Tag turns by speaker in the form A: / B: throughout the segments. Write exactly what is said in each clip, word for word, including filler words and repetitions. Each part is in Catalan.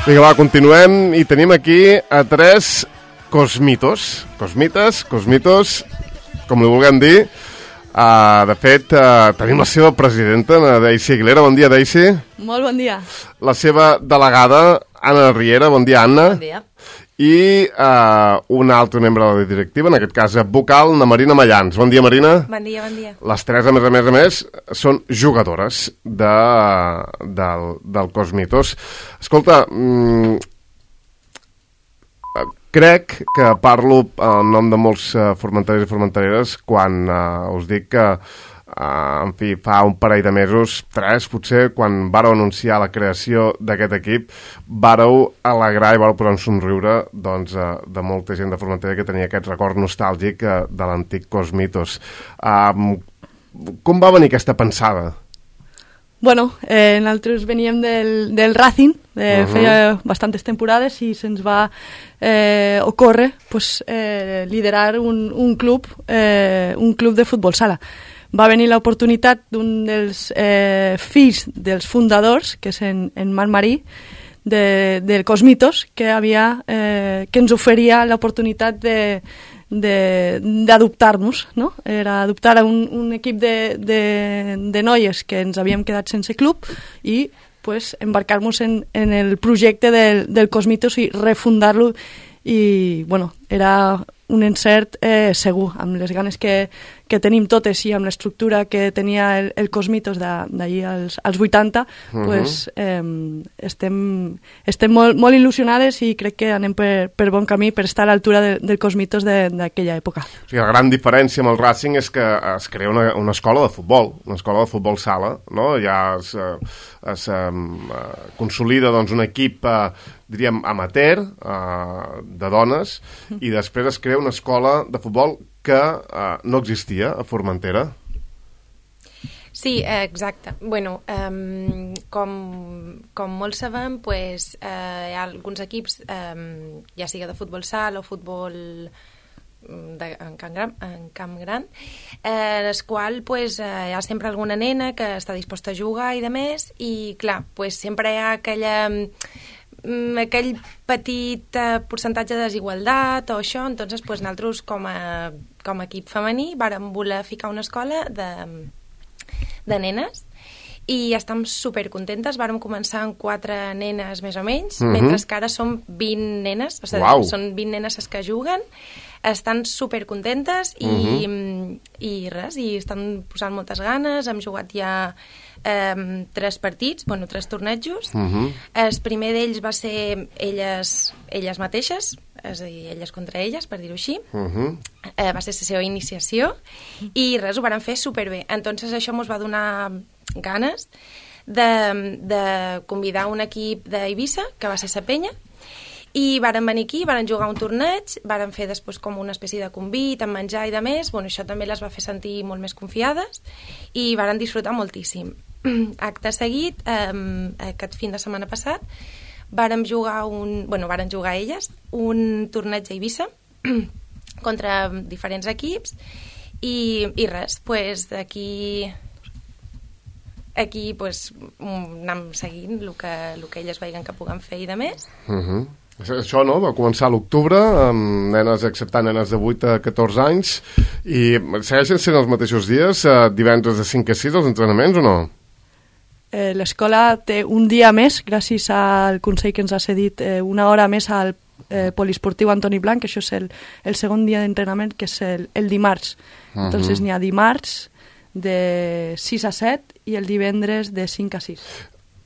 A: Vinga, va, continuem i tenim aquí a tres cosmitos. Cosmites, cosmitos, com li vulguem dir. Uh, de fet, uh, tenim la seva presidenta, la Daisy Aguilera. Bon dia, Daisy.
B: Molt bon dia.
A: La seva delegada, Anna Riera. Bon dia, Anna.
C: Bon dia.
A: I uh, un altre membre de la directiva, en aquest cas vocal, la Marina Mallans. Bon dia, Marina.
C: Bon dia, bon dia.
A: Les tres, a més a més a més, són jugadores de, del, del Cosmitos. Escolta, mm, crec que parlo en nom de molts uh, formenterers i formentereres quan uh, us dic que Uh, en fi, fa un parell de mesos, tres potser, quan vàreu anunciar la creació d'aquest equip, vàreu alegrar i vàreu posar un somriure doncs, uh, de molta gent de Formentera que tenia aquest record nostàlgic uh, de l'antic Cosmitos. Uh, com va venir aquesta pensada?
B: Bueno, eh, nosaltres veníem del, del Racing, eh,
A: Uh-huh.
B: feia bastantes temporades i se'ns va eh, ocórrer pues, eh, liderar un, un club, eh, un club de futbol sala. Va venir l'oportunitat d'un dels eh, fills dels fundadors, que és en, en Marc Marí, de, del Cosmitos, que, havia, eh, que ens oferia l'oportunitat de, de, d'adoptar-nos, no? Era adoptar un, un equip de, de, de noies que ens havíem quedat sense club i pues, embarcar-nos en, en el projecte del, del Cosmitos i refundar-lo. I bueno, era un encert eh, segur, amb les ganes que, que tenim totes i amb l'estructura que tenia el, el Cosmitos d'allí als, als vuitanta, uh-huh. pues, eh, estem, estem molt, molt il·lusionades i crec que anem per, per bon camí per estar a l'altura de, del Cosmitos d'aquella època.
A: O sigui, la gran diferència amb el Racing és que es crea una, una escola de futbol, una escola de futbol sala, no? Ja es, es um, consolida doncs, un equip uh, diríem amateur uh, de dones i després es crea una escola de futbol que uh, no existia a Formentera.
C: Sí, eh, exacte. Bueno, um, com, com molts sabem, pues, eh, hi ha alguns equips, um, ja sigui de futbol sala o futbol de, en, camp gran, en camp gran, eh, en el qual pues, eh, hi ha sempre alguna nena que està disposta a jugar i de més, i clar, pues, sempre hi ha aquella... aquell petit eh, percentatge de desigualtat o això, entonces pues, nosaltres com a, com a equip femení vàrem voler ficar una escola de, de nenes i estem supercontentes. Vàrem començar amb quatre nenes més o menys, uh-huh. mentre que ara som vint nenes, o sigui,
A: wow.
C: són vint nenes les que juguen, estan supercontentes i, uh-huh. i res, i estan posant moltes ganes. Hem jugat ja Um, tres partits, bueno, tres tornejos. Uh-huh. El primer d'ells va ser elles, elles mateixes, és a dir, elles contra elles, per dir-ho així. Uh-huh. Uh, va ser la seva iniciació i res, ho varen fer superbé. Entonces això ens va donar ganes de, de convidar un equip d'Eivissa, que va ser la Penya, i varen venir aquí, varen jugar un torneig, varen fer després com una espècie de convit amb menjar i de més. Bueno, això també les va fer sentir molt més confiades i varen disfrutar moltíssim. Acte seguit, eh, aquest fin de setmana passat, vàrem jugar un, bueno, varen jugar elles un torneig a Eivissa contra diferents equips i, i res, pues, aquí aquí pues, anem seguint el que, el que elles veien que puguen fer i de més.
A: Uh-huh. Això, no? Va començar a l'octubre, amb nenes acceptant nenes de vuit a catorze anys, i segueixen sent els mateixos dies, eh, divendres de cinc a sis, els entrenaments, o no?
B: Eh, l'escola té un dia més, gràcies al Consell que ens ha cedit eh, una hora més al eh, poliesportiu Antoni Blanc, que això és el, el segon dia d'entrenament, que és el, el dimarts. Uh-huh. Entonces n'hi ha dimarts de sis a set i el divendres de cinc a sis.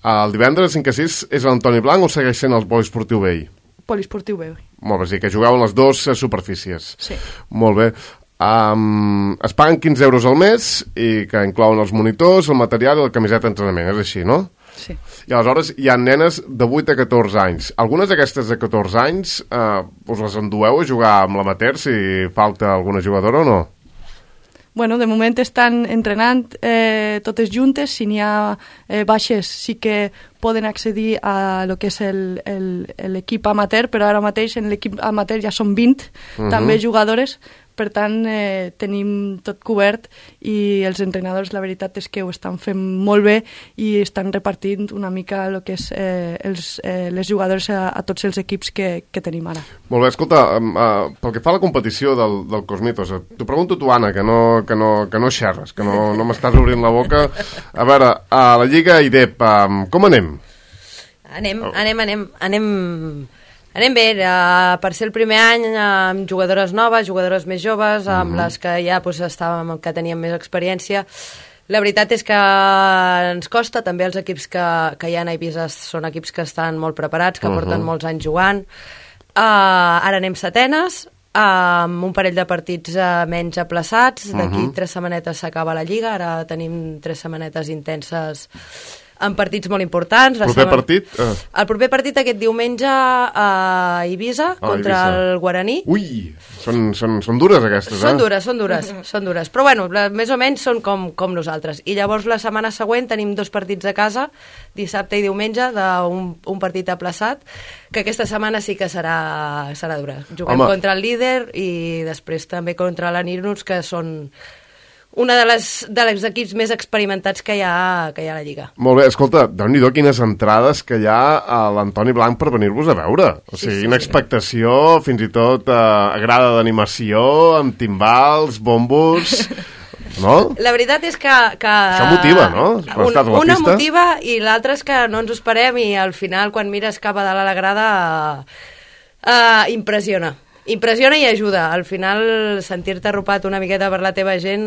A: El divendres de cinc a sis és l'Antoni Blanc o segueix sent el poliesportiu vell?
B: Poliesportiu vell.
A: Molt bé, sí, que jugaven les dues superfícies.
B: Sí.
A: Molt bé. Um, es paguen quinze euros al mes i que inclouen els monitors, el material i la camiseta d'entrenament, és així, no?
B: Sí.
A: I aleshores hi ha nenes de vuit a catorze anys. Algunes d'aquestes de catorze anys eh, us les endueu a jugar amb l'amateur si falta alguna jugadora o no?
B: Bueno, de moment estan entrenant eh, totes juntes. Si n'hi ha eh, baixes sí que poden accedir a lo que és l'equip amateur, però ara mateix en l'equip amateur ja són vint uh-huh. també jugadores, per tant eh, tenim tot cobert i els entrenadors la veritat és que ho estan fent molt bé i estan repartint una mica el que és eh, els, eh, les jugadores a, a tots els equips que, que tenim ara.
A: Molt bé, escolta, uh, pel que fa a la competició del, del Cosmitos, t'ho pregunto tu, Anna, que no, que no, que no xerres, que no, no m'estàs obrint la boca. A veure, a la Lliga I D E P, um, com anem?
D: Anem, anem, anem, anem... Anem bé, uh, per ser el primer any amb jugadores noves, jugadores més joves, amb mm-hmm. les que ja pues, estàvem, que teníem més experiència. La veritat és que ens costa, també els equips que, que hi ha a Eivissa són equips que estan molt preparats, que uh-huh. porten molts anys jugant. Uh, ara anem setenes, uh, amb un parell de partits uh, menys aplaçats, d'aquí uh-huh. tres setmanetes s'acaba la Lliga, ara tenim tres setmanetes intenses en partits molt importants.
A: El proper partit? Uh.
D: El proper partit aquest diumenge a Eivissa, ah, contra Eivissa. El Guaraní.
A: Ui, són, són, són dures aquestes,
D: són
A: eh?
D: Dures, són dures, són dures. Però bueno, la, més o menys són com, com nosaltres. I llavors la setmana següent tenim dos partits a casa, dissabte i diumenge, d'un un partit aplaçat, que aquesta setmana sí que serà, serà dura. Juguem Home. contra el líder i després també contra l'Anirnuts, que són una de les, de les equips més experimentats que hi ha, que hi ha a la Lliga.
A: Molt bé, escolta, déu-n'hi-do quines entrades que hi ha a l'Antoni Blanc per venir-vos a veure. O sigui, sí, sí, una expectació, sí. fins i tot eh, agrada d'animació, amb timbals, bombos... No?
D: La veritat és que... que
A: això motiva, no?
D: Un, una pista. Motiva i l'altra és que no ens ho esperem i al final, quan mires cap a dalt a la grada, uh, impressiona. Impressiona i ajuda. Al final, sentir-te arropat una miqueta per la teva gent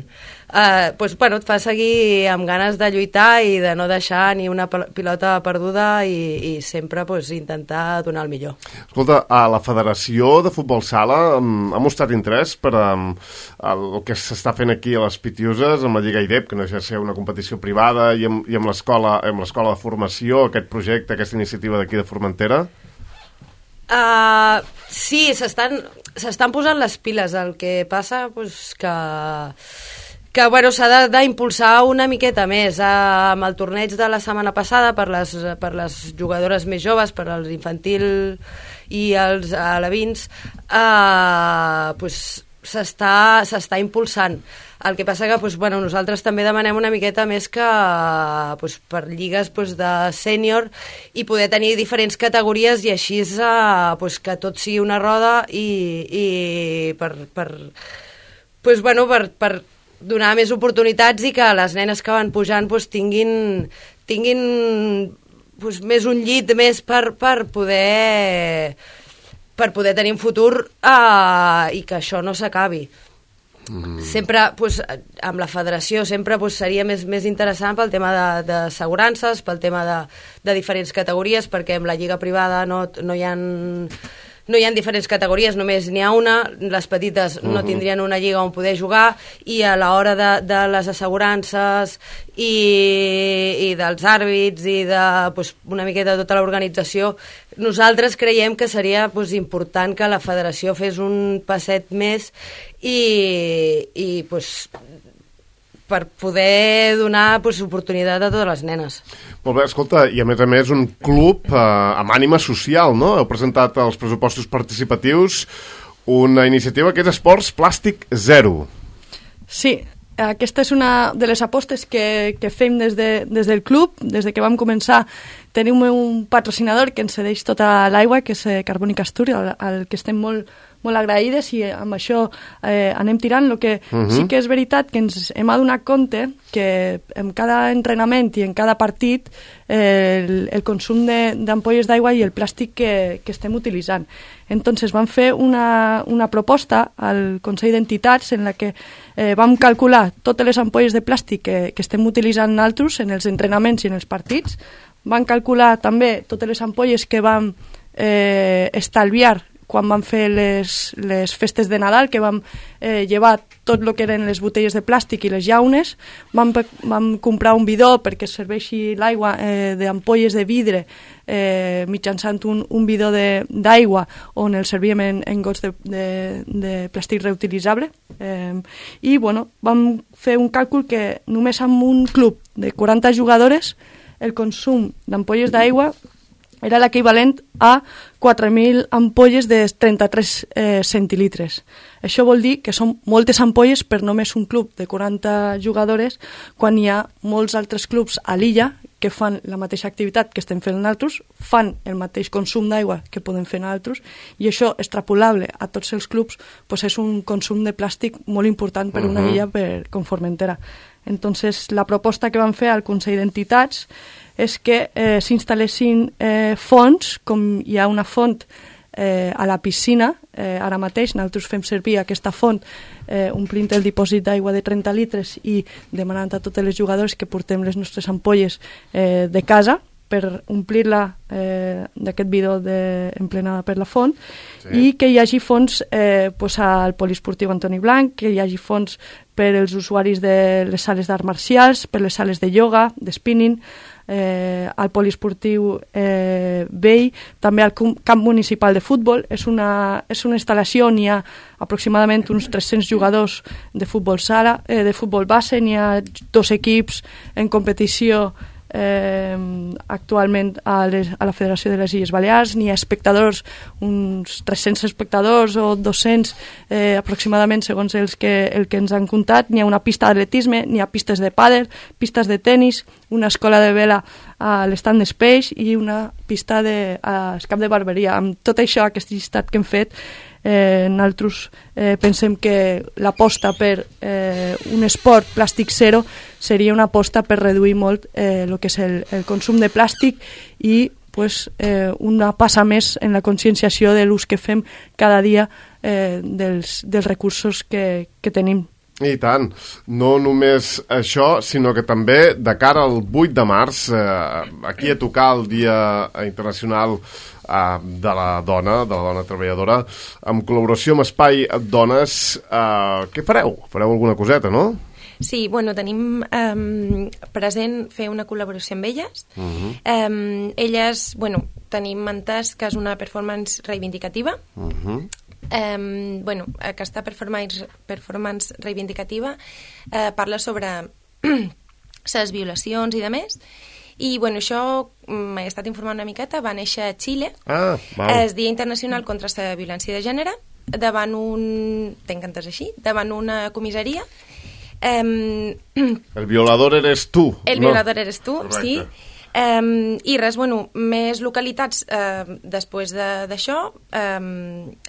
D: eh, pues, bueno, et fa seguir amb ganes de lluitar i de no deixar ni una pilota perduda i, i sempre pues, intentar donar el millor.
A: Escolta, a la Federació de Futbol Sala um, ha mostrat interès per um, el que s'està fent aquí a les Pitiuses amb la Lliga I D E P, que no deixa de ser una competició privada, i amb, i amb l'escola amb l'escola de formació, aquest projecte, aquesta iniciativa d'aquí de Formentera?
D: Uh, sí, s'estan s'estan posant les piles. El que passa pues, que, que bueno, s'ha d'impulsar una miqueta més. Uh, amb el torneig de la setmana passada per les, per les jugadores més joves, per als infantil i els alevins, uh, pues, s'està s'està impulsant. El que passa que pues, bueno, nosaltres també demanem una miqueta més que pues, per lligues pues, de sènior i poder tenir diferents categories i així uh, pues, que tot sigui una roda i, i per, per, pues, bueno, per, per donar més oportunitats i que les nenes que van pujant pues, tinguin, tinguin pues, més un llit més per, per poder per poder tenir un futur uh, i que això no s'acabi. Mm. Sempre, pues, amb la federació sempre pues, seria més, més interessant pel tema d'assegurances, pel tema de, de diferents categories, perquè amb la lliga privada no, no hi ha... No hi ha diferents categories, només n'hi ha una, les petites no uh-huh. tindrien una lliga on poder jugar i a l'hora de, de les assegurances i, i dels àrbits i de pues, una miqueta de tota l'organització, nosaltres creiem que seria pues, important que la federació fes un passet més i, i pues, per poder donar pues, oportunitat a totes les nenes.
A: Molt bé, escolta, i a més a més un club eh, amb ànima social, no? Heu presentat als pressupostos participatius una iniciativa que és Esports Plàstic Zero.
B: Sí, aquesta és una de les apostes que, que fem des, de, des del club, des de que vam començar. Tenim un patrocinador que ens cedeix tota l'aigua, que és Carbònic Asturi, al, al que estem molt, molt agraïdes i amb això eh, anem tirant. El que uh-huh. sí que és veritat que ens hem adonat compte que en cada entrenament i en cada partit eh, el, el consum d'ampolles d'aigua i el plàstic que, que estem utilitzant. Entonces vam fer una, una proposta al Consell d'Entitats en la que eh, vam calcular totes les ampolles de plàstic que, que estem utilitzant nosaltres en els entrenaments i en els partits. Vam calcular també totes les ampolles que vam eh, estalviar quan vam fer les, les festes de Nadal, que vam eh, llevar tot el que eren les botelles de plàstic i les llaunes. Vam, vam comprar un bidó perquè serveixi l'aigua eh, d'ampolles de vidre eh, mitjançant un, un bidó d'aigua on el servíem en, en gots de, de, de plàstic reutilitzable. Eh, I bueno, vam fer un càlcul que només amb un club de quaranta jugadores el consum d'ampolles d'aigua era l'equivalent a quatre mil ampolles de trenta-tres eh, centilitres. Això vol dir que són moltes ampolles per només un club de quaranta jugadores, quan hi ha molts altres clubs a l'illa que fan la mateixa activitat que estem fent nosaltres, fan el mateix consum d'aigua que podem fer nosaltres, i això, extrapolable a tots els clubs, pues és un consum de plàstic molt important per una illa per, com Formentera. Entonces, la proposta que van fer al Consell d'Entitats és que eh, s'instal·lessin eh, fonts, com hi ha una font eh, a la piscina, eh, ara mateix nosaltres fem servir aquesta font eh, omplint el dipòsit d'aigua de trenta litres i demanant a totes les jugadores que portem les nostres ampolles eh, de casa per omplir-la eh, d'aquest bidó de, emplenada per la font, sí. I que hi hagi fons eh, pues al poliesportiu Antoni Blanc, que hi hagi fons per als usuaris de les sales d'arts marcials, per les sales de ioga, de spinning, eh, al poliesportiu eh, vell, també al camp municipal de futbol. És una, és una instal·lació on hi ha aproximadament uns tres-cents jugadors de futbol sala, eh, de futbol base, n'hi ha dos equips en competició eh, actualment a, les, a la Federació de les Illes Balears, n'hi ha espectadors, uns tres-cents espectadors o dos-cents eh, aproximadament, segons els que, el que ens han contat. N'hi ha una pista d'atletisme, n'hi ha pistes de pàdel, pistes de tennis, una escola de vela a l'estand d'Espeix i una pista de, a Cap de Barberia. Amb tot això, aquest llistat que hem fet, eh, nosaltres eh, pensem que l'aposta per eh, un esport plàstic zero seria una aposta per reduir molt eh, el que és el, el consum de plàstic i pues, eh, una passa més en la conscienciació de l'ús que fem cada dia eh, dels, dels recursos que, que tenim.
A: I tant, no només això, sinó que també de cara al vuit de març, eh, aquí a tocar el Dia Internacional eh, de la Dona, de la Dona Treballadora, en col·laboració amb Espai Dones, eh, què fareu? Fareu alguna coseta, no?
C: Sí, bueno, tenim um, present fer una col·laboració amb elles. Uh-huh. um, elles, bueno, tenim entès que és una performance reivindicativa. Uh-huh. Um, bueno, aquesta performance, performance reivindicativa uh, parla sobre les violacions i de més, i bueno, això m'he estat informant una miqueta, va néixer a Xile,
A: ah,
C: el Dia Internacional contra la Violència de Gènere, davant un, tenc entès així, davant una comissaria. Um,
A: el violador eres tu.
C: El
A: no?
C: violador eres tu, correcte. Sí. Um, I res, bueno, més localitats uh, després d'això um,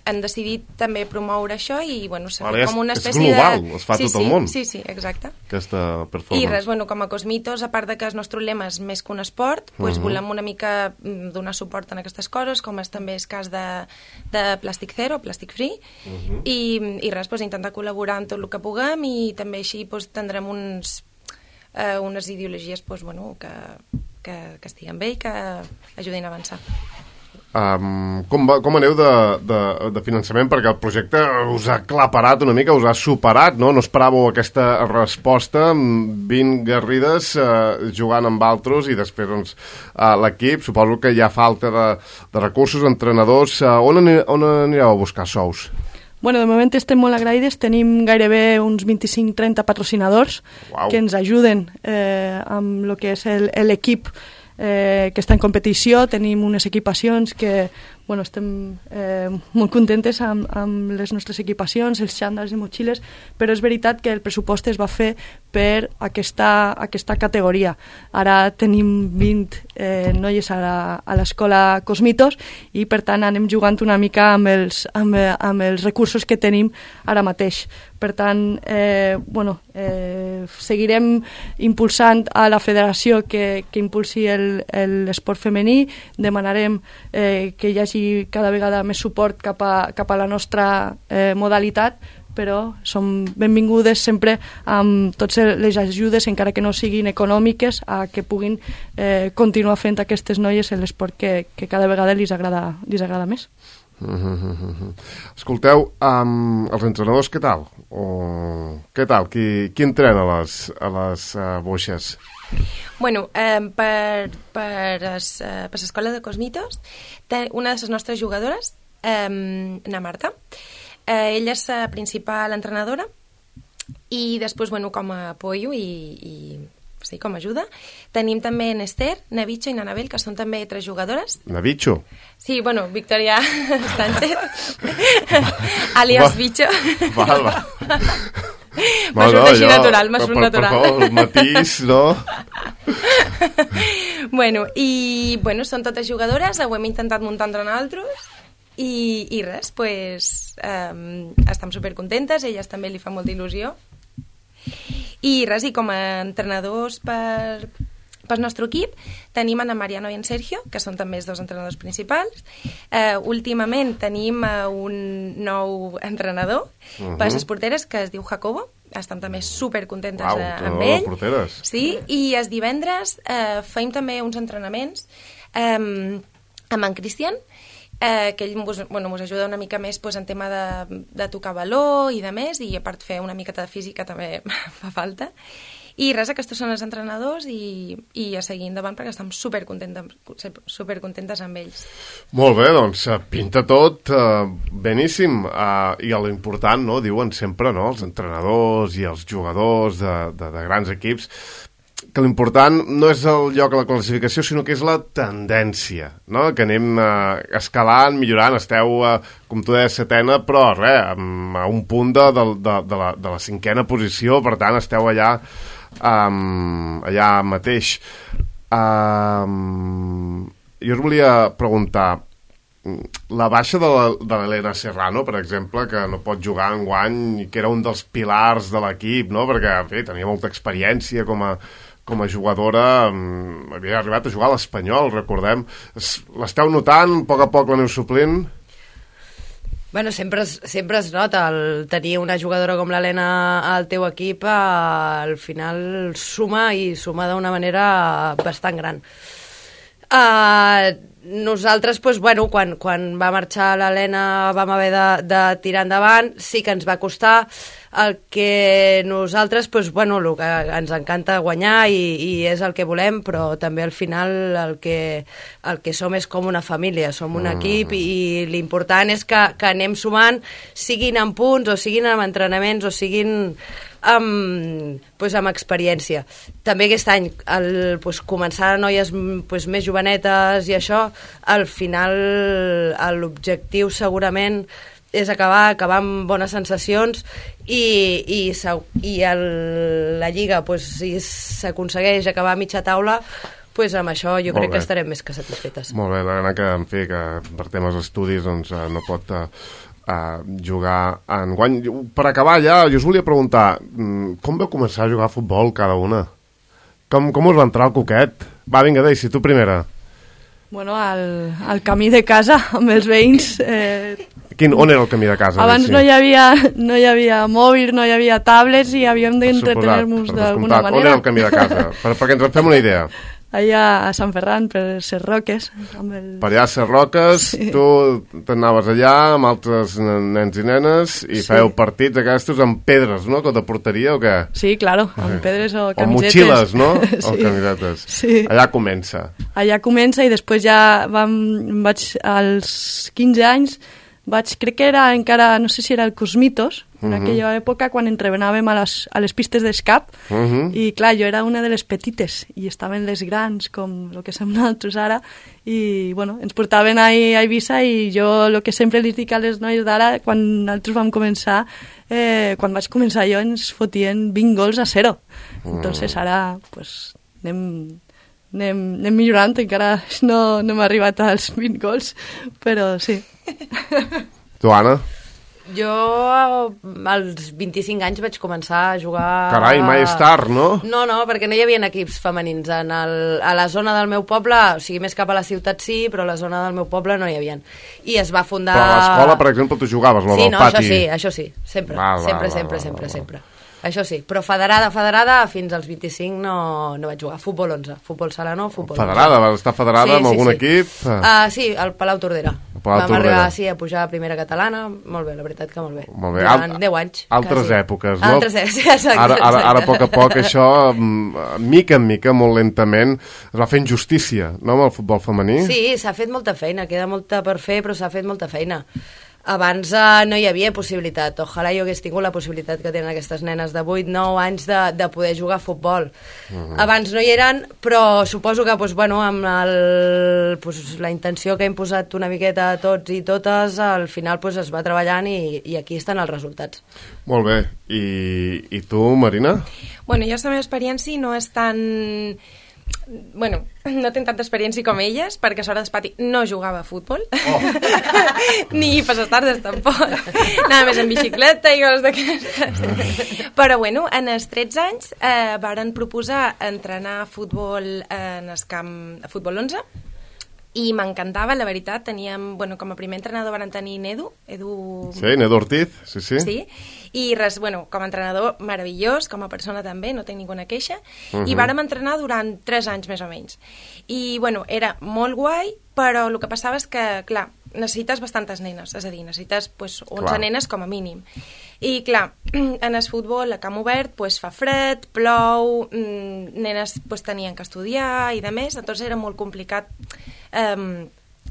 C: han decidit també promoure això i bueno, s'ha fet com una espècie de...
A: És global, de... es fa
C: sí,
A: tot
C: sí,
A: el món.
C: Sí, sí, exacte.
A: Aquesta performance.
C: I res, bueno, com a Cosmitos, a part de que el nostre lema és més que un esport, pues, uh-huh. volem una mica donar suport en aquestes coses, com és també el cas de, de Plàstic Zero, Plàstic Free, uh-huh. i, i res, pues, intentar col·laborar en tot el que puguem i també així pues, tindrem uns, uh, unes ideologies pues, bueno, que... Que, que estiguen bé i que ajudin a avançar.
A: Um, com, va, com aneu de, de, de finançament? Perquè el projecte us ha claparat una mica, us ha superat, no? No esperàveu aquesta resposta, vint garrides uh, jugant amb altres i després doncs, uh, l'equip, suposo que hi ha falta de, de recursos, entrenadors. Uh, on, ani, on anireu a buscar sous?
B: Bueno, de moment estem molt agraïdes, tenim gairebé uns vint-i-cinc trenta patrocinadors wow. que ens ajuden eh, amb el que és l'equip eh, que està en competició. Tenim unes equipacions que bueno, estem eh, molt contentes amb, amb les nostres equipacions, els xandals i motxilles, però és veritat que el pressupost es va fer per aquesta, aquesta categoria. Ara tenim vint eh, noies a l'escola Cosmitos i per tant anem jugant una mica amb els, amb, amb els recursos que tenim ara mateix. Per tant, eh, bueno, eh, seguirem impulsant a la federació que, que impulsi l'esport femení, demanarem eh, que hi hagi cada vegada més suport cap a, cap a la nostra eh, modalitat, però som benvingudes sempre amb totes les ajudes, encara que no siguin econòmiques, a que puguin eh, continuar fent aquestes noies en l'esport que, que cada vegada li agrada, li agrada més.
A: Uh-huh. Escolteu, um, els entrenadors què tal? O, què tal? Qui, qui entrena a les, a les uh, boixes?
C: Bueno, eh, per, per, es, eh, per l'escola de Cosmitos, una de les nostres jugadores, eh, na Marta, eh, ella és la principal entrenadora i després, bueno, com a apoyo i, i sí, com a ajuda. Tenim també Nester, Navicho i Nanabel, que són també tres jugadores.
A: Navicho?
C: Sí, bueno, Victoria Sánchez, alias Bicho.
A: Val, val.
C: M'ha surt així natural, m'ha surt natural.
A: Per favor, el matís, no?
C: Bueno, i bueno, són totes jugadores, ho hem intentat muntar entre nosaltres, i, i res, pues, um, estem supercontentes, a elles també li fa molta il·lusió. I res, i com a entrenadors per... Pel nostre equip tenim en Mariano i en Sergio, que són també els dos entrenadors principals. Uh, últimament tenim uh, un nou entrenador uh-huh. per les porteres, que es diu Jacobo. Estem també supercontentes
A: Uau,
C: uh, amb ell.
A: Porteres.
C: Sí, i els divendres uh, feim també uns entrenaments um, amb en Cristian, uh, que ell mos, bueno, mos ajuda una mica més pues, en tema de, de tocar baló i de més, i a part fer una miqueta de física també fa falta. I res, aquests són els entrenadors i, i a seguir endavant perquè estem supercontentes, supercontentes amb ells.
A: Molt bé, doncs pinta tot uh, beníssim. Uh, I l'important, no?, diuen sempre, no?, els entrenadors i els jugadors de, de, de grans equips, que l'important no és el lloc a la classificació, sinó que és la tendència, no?, que anem uh, escalant, millorant, esteu, uh, com tu deies, setena, però res, a un punt de, de, de, de, la, de la cinquena posició, per tant, esteu allà Um, allà mateix. Um, jo us volia preguntar, la baixa de l'Helena Serrano, per exemple, que no pot jugar enguany i que era un dels pilars de l'equip, no?, perquè en fi, tenia molta experiència com a, com a jugadora, um, havia arribat a jugar a l'Espanyol, recordem. L'esteu notant? A poc a poc l'aneu suplint?
D: Bueno, sempre es, sempre es nota el tenir una jugadora com l'Helena al teu equip, eh, al final suma i suma d'una manera bastant gran. Uh, nosaltres, pues, bueno, quan, quan va marxar l'Helena vam haver de, de tirar endavant, sí que ens va costar. El que nosaltres, pues, bueno, el que ens encanta guanyar i, i és el que volem, però també al final el que, el que som és com una família, som un mm. equip, i, i l'important és que, que anem sumant, siguin en punts o siguin en entrenaments o siguin amb, pues, amb experiència. També aquest any el, pues, començar a noies pues, més jovenetes i això, al final l'objectiu segurament és acabar, acabar amb bones sensacions i, i, i el, la Lliga, pues, si s'aconsegueix acabar a mitja taula, pues, amb això jo Molt crec bé. que estarem més que satisfetes.
A: Molt bé, l'Helena, que en fi, que per temes d'estudis doncs, uh, no pot uh, uh, jugar en guany. Per acabar ja, jo us volia preguntar, com vau començar a jugar a futbol cada una? Com, com us va entrar el coquet? Va, vinga, Daisy, tu primera.
B: Bueno, al, al camí de casa, amb els veïns... Eh...
A: Quin, on era el camí de casa?
B: Abans no hi, havia, no hi havia mòbil, no hi havia tablets i havíem d'entretenir-nos d'alguna manera.
A: On era el camí de casa? Per, perquè ens en fem una idea.
B: Allà a Sant Ferran, per Ses Roques. Amb el...
A: Per allà a Ses Roques, sí. Tu t'anaves allà amb altres nens i nenes i sí. Fèieu partits aquests amb pedres, no?, de porteria o què?
B: Sí, claro, amb pedres o camisetes.
A: O motxilles, no?
B: Sí.
A: O camisetes.
B: Sí.
A: Allà comença.
B: Allà comença i després ja vam, vaig als quinze anys, vaig, crec que era encara, no sé si era el Cosmitos, en uh-huh. aquella època quan entrenàvem a les, a les pistes d'escap, uh-huh. i clar, jo era una de les petites i estaven les grans, com el que som nosaltres ara, i bueno, ens portaven a, a Eivissa i jo el que sempre li dic a les noies d'ara, quan nosaltres vam començar, eh, quan vaig començar jo ens fotien vint gols a zero. Uh-huh. Entonces ara, pues, anem... Anem, anem millorant, encara no, no hem arribat als vint gols, però sí.
A: Tu, Anna?
D: Jo als vint-i-cinc anys vaig començar a jugar...
A: Carai, mai és tard, no?
D: No, no, perquè no hi havia equips femenins. En el, a la zona del meu poble, o sigui, més cap a la ciutat sí, però a la zona del meu poble no hi havia. I es va fundar...
A: Però a l'escola, per exemple, tu jugaves, no,
D: sí,
A: del
D: no,
A: pati?
D: Sí, no, això sí, això sí, sempre,
A: val,
D: sempre,
A: val,
D: sempre,
A: val,
D: sempre,
A: val,
D: sempre. Això sí, però federada, federada, fins als vint-i-cinc no, no vaig jugar. Futbol onze, futbol sala no, futbol
A: federada, vas estar federada
D: sí,
A: amb
D: sí,
A: algun
D: sí.
A: equip?
D: Uh, sí, al Palau Tordera.
A: Palau
D: Vam
A: Tordera.
D: arribar sí, a pujar a primera catalana, molt bé, la veritat que molt bé.
A: Molt bé.
D: Durant deu anys.
A: Altres
D: quasi.
A: èpoques, no?
D: Altres èpoques, sí, exacte.
A: Ara, ara, ara, a poc a poc, això, mica en mica, molt lentament, es va fent justícia, no?, amb el futbol femení.
D: Sí, s'ha fet molta feina, queda molta per fer, però s'ha fet molta feina. abans eh, no hi havia possibilitat. Ojalà jo hagués tingut la possibilitat que tenen aquestes nenes de vuit nou anys de, de poder jugar a futbol. Uh-huh. Abans no hi eren, però suposo que pues, bueno, amb el, pues, la intenció que hem posat una miqueta a tots i totes, al final pues, es va treballant i, i aquí estan els resultats.
A: Molt bé. I, i tu, Marina?
C: Bueno, jo la meva experiència no és tan... Bueno, no tinc tanta experiència com elles, perquè a l'hora d'espati no jugava a futbol. Oh. Ni per les tardes tampoc. Anava més en bicicleta i coses d'aquestes. Però bueno, en els tretze anys eh, varen proposar entrenar a futbol en el camp a futbol onze i m'encantava, la veritat. Teníem, bueno, com a primer entrenador van tenir Nedu, Edu...
A: Sí, Nedu Ortiz, sí, sí.
C: Sí, i res, bueno, com a entrenador meravellós, com a persona també, no tinc ninguna queixa, uh-huh. i vàrem entrenar durant tres anys més o menys. I, bueno, era molt guai, però el que passava és que, clar, necessites bastantes nenes, és a dir, necessites pues, onze clar. nenes com a mínim. I, clar, en el futbol, a camp obert, pues, fa fred, plou, mmm, nenes pues, tenien que estudiar i de més, doncs era molt complicat um,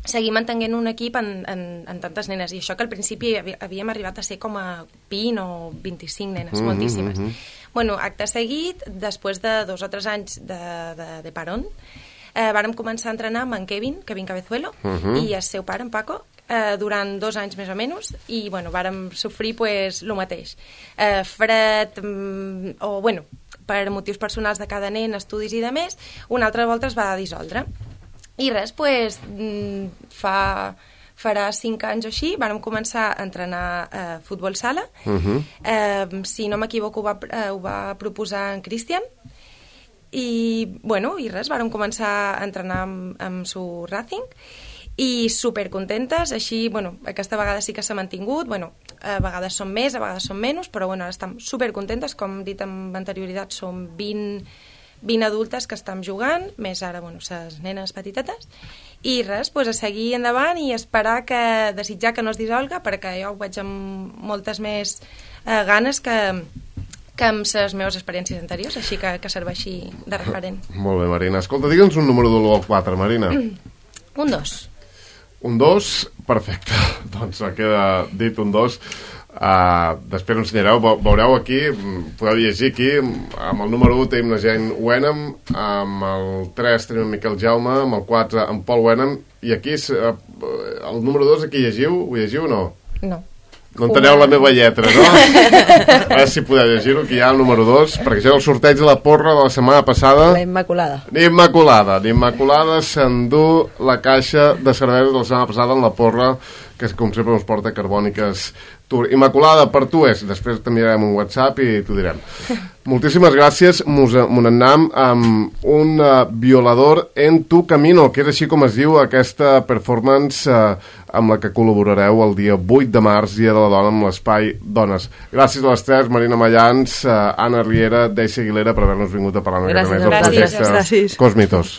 C: seguir mantenint un equip en, en, en tantes nenes, i això que al principi havíem arribat a ser com a vint o vint-i-cinc nenes, mm-hmm, moltíssimes. Mm-hmm. Bueno, acte seguit, després de dos o tres anys de, de, de parón, eh, vàrem començar a entrenar amb en Kevin, Kevin Cabezuelo, mm-hmm. i el seu pare, en Paco, eh, durant dos anys més o menys, i bueno, vàrem sofrir pues, el mateix. Eh, fred, mm, o bueno, per motius personals de cada nen, estudis i de més, una altra volta es va dissoldre. I res, pues, fa, farà cinc anys o així, vàrem començar a entrenar eh, futbol sala. Uh-huh. Eh, si no m'equivoco, ho va, eh, ho va proposar en Cristian. I, bueno, i res, vàrem començar a entrenar amb, amb su Racing i supercontentes. Així, bueno, aquesta vegada sí que s'ha mantingut. Bueno, a vegades som més, a vegades som menys, però bueno, ara estem supercontentes. Com he dit amb anterioritat, som vint... vint adultes que estem jugant, més ara, bueno, les nenes petitetes, i res, pues, a seguir endavant i esperar que, desitjar que no es dissolga, perquè jo ho veig amb moltes més eh, ganes que, que amb les meves experiències anteriors, així que, que serveixi de referent.
A: Molt bé, Marina. Escolta, digue'ns un número de l'u al quatre, Marina.
C: Un dos.
A: Un dos? Perfecte. Doncs queda dit un dos. Uh, després ho ensenyareu, veureu aquí, podeu llegir aquí, amb el número u tenim la Jane Wenham, amb el tres tenim en Miquel Jaume, amb el quatre en Paul Wenham, i aquí uh, el número dos aquí llegiu, ho llegiu o no?
C: No.
A: No enteneu la meva lletra, no? A veure si podeu llegir-ho, que hi ha el número dos, perquè això és el sorteig de la porra de la setmana passada.
D: La Immaculada.
A: L'Immaculada. L'Immaculada s'endú la caixa de cervesa de la setmana passada en la porra, que com sempre ens porta Carbòniques Tour. Immaculada, per tu és. Després t'enviarem un WhatsApp i t'ho direm. Moltíssimes gràcies. Mos n'anem amb un uh, violador en tu camino, que és així com es diu aquesta performance uh, amb la que col·laborareu el dia vuit de març, Dia de la Dona, amb l'Espai Dones. Gràcies a les tres, Marina Mallans, uh, Anna Riera, Deisa Aguilera, per haver-nos vingut a parlar una mica més del projecte Cosmitos.